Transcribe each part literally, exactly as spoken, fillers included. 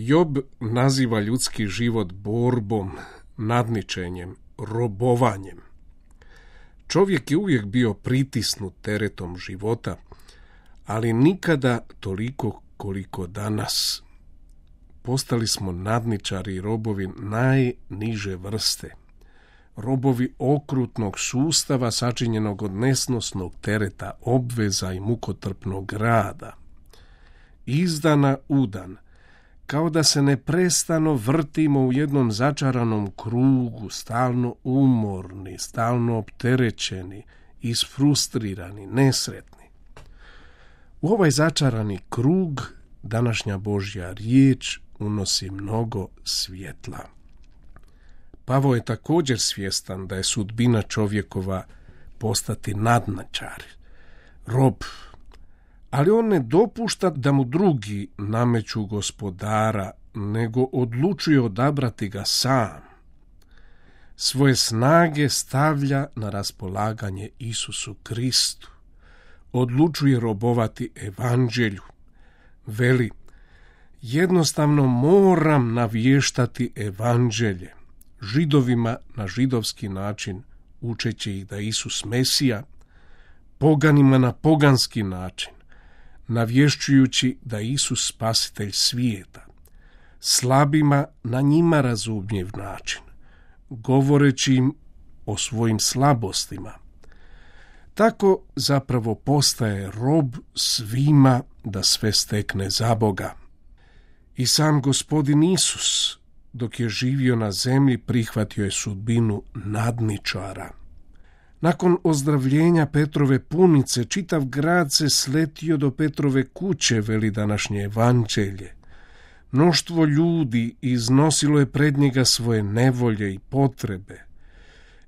Job naziva ljudski život borbom, nadničenjem, robovanjem. Čovjek je uvijek bio pritisnut teretom života, ali nikada toliko koliko danas. Postali smo nadničari i robovi najniže vrste. Robovi okrutnog sustava sačinjenog od nesnosnog tereta, obveza i mukotrpnog rada. Iz dana u dan, kao da se neprestano vrtimo u jednom začaranom krugu, stalno umorni, stalno opterećeni, isfrustrirani, nesretni. U ovaj začarani krug današnja Božja riječ unosi mnogo svjetla. Pavao je također svjestan da je sudbina čovjekova postati nadničar, rob, ali on ne dopušta da mu drugi nameću gospodara, nego odlučuje odabrati ga sam. Svoje snage stavlja na raspolaganje Isusu Kristu. Odlučuje robovati evanđelju. Veli, jednostavno moram navještati evanđelje, Židovima na židovski način, učeći ih da je Isus Mesija, poganima na poganski način, navješćujući da je Isus spasitelj svijeta, slabima na njima razumljiv način, govoreći im o svojim slabostima. Tako zapravo postaje rob svima da sve stekne za Boga. I sam Gospodin Isus, dok je živio na zemlji, prihvatio je sudbinu nadničara. Nakon ozdravljenja Petrove punice, čitav grad se sletio do Petrove kuće, veli današnje evanđelje. Mnoštvo ljudi iznosilo je pred njega svoje nevolje i potrebe.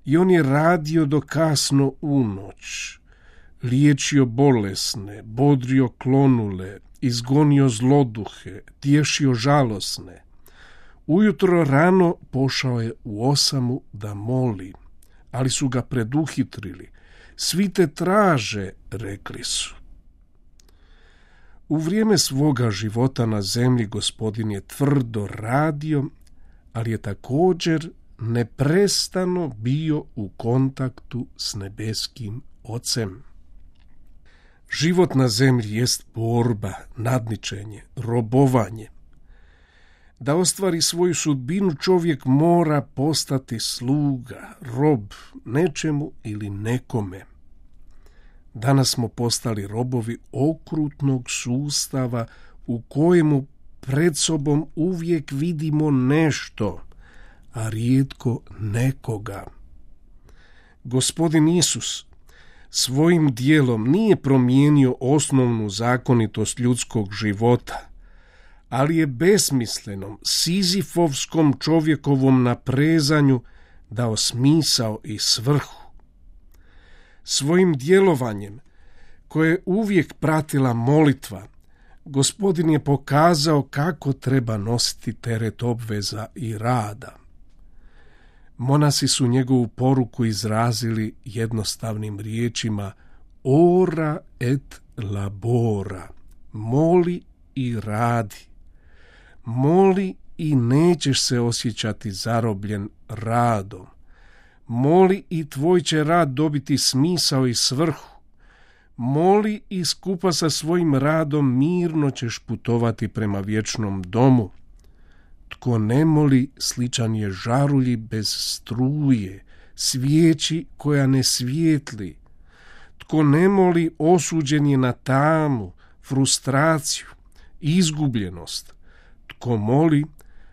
I on je radio do kasno u noć, liječio bolesne, bodrio klonule, izgonio zloduhe, tješio žalosne. Ujutro rano pošao je u osamu da moli, ali su ga preduhitrili. Svi te traže, rekli su. U vrijeme svoga života na zemlji Gospodin je tvrdo radio, ali je također neprestano bio u kontaktu s nebeskim Ocem. Život na zemlji jest borba, nadničenje, robovanje. Da ostvari svoju sudbinu, čovjek mora postati sluga, rob, nečemu ili nekome. Danas smo postali robovi okrutnog sustava u kojemu pred sobom uvijek vidimo nešto, a rijetko nekoga. Gospodin Isus svojim dijelom nije promijenio osnovnu zakonitost ljudskog života, ali je besmislenom, sizifovskom čovjekovom naprezanju dao smisao i svrhu. Svojim djelovanjem, koje je uvijek pratila molitva, Gospodin je pokazao kako treba nositi teret obveza i rada. Monasi su njegovu poruku izrazili jednostavnim riječima ora et labora, moli i radi. Moli i nećeš se osjećati zarobljen radom. Moli i tvoj će rad dobiti smisao i svrhu. Moli i skupa sa svojim radom mirno ćeš putovati prema vječnom domu. Tko ne moli, sličan je žarulji bez struje, svijeći koja ne svijetli. Tko ne moli, osuđen je na tamu, frustraciju, izgubljenost. Tko moli,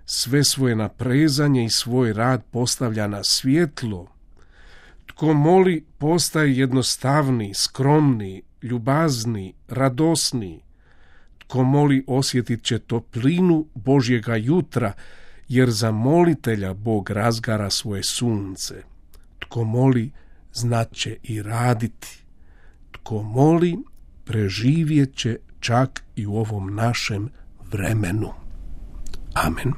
sve svoje naprezanje i svoj rad postavlja na svjetlo. Tko moli, postaje jednostavniji, skromniji, ljubazniji, radosniji. Tko moli, osjetit će toplinu Božjega jutra, jer za molitelja Bog razgara svoje sunce. Tko moli, znat će i raditi. Tko moli, preživjet će čak i u ovom našem vremenu. Amen.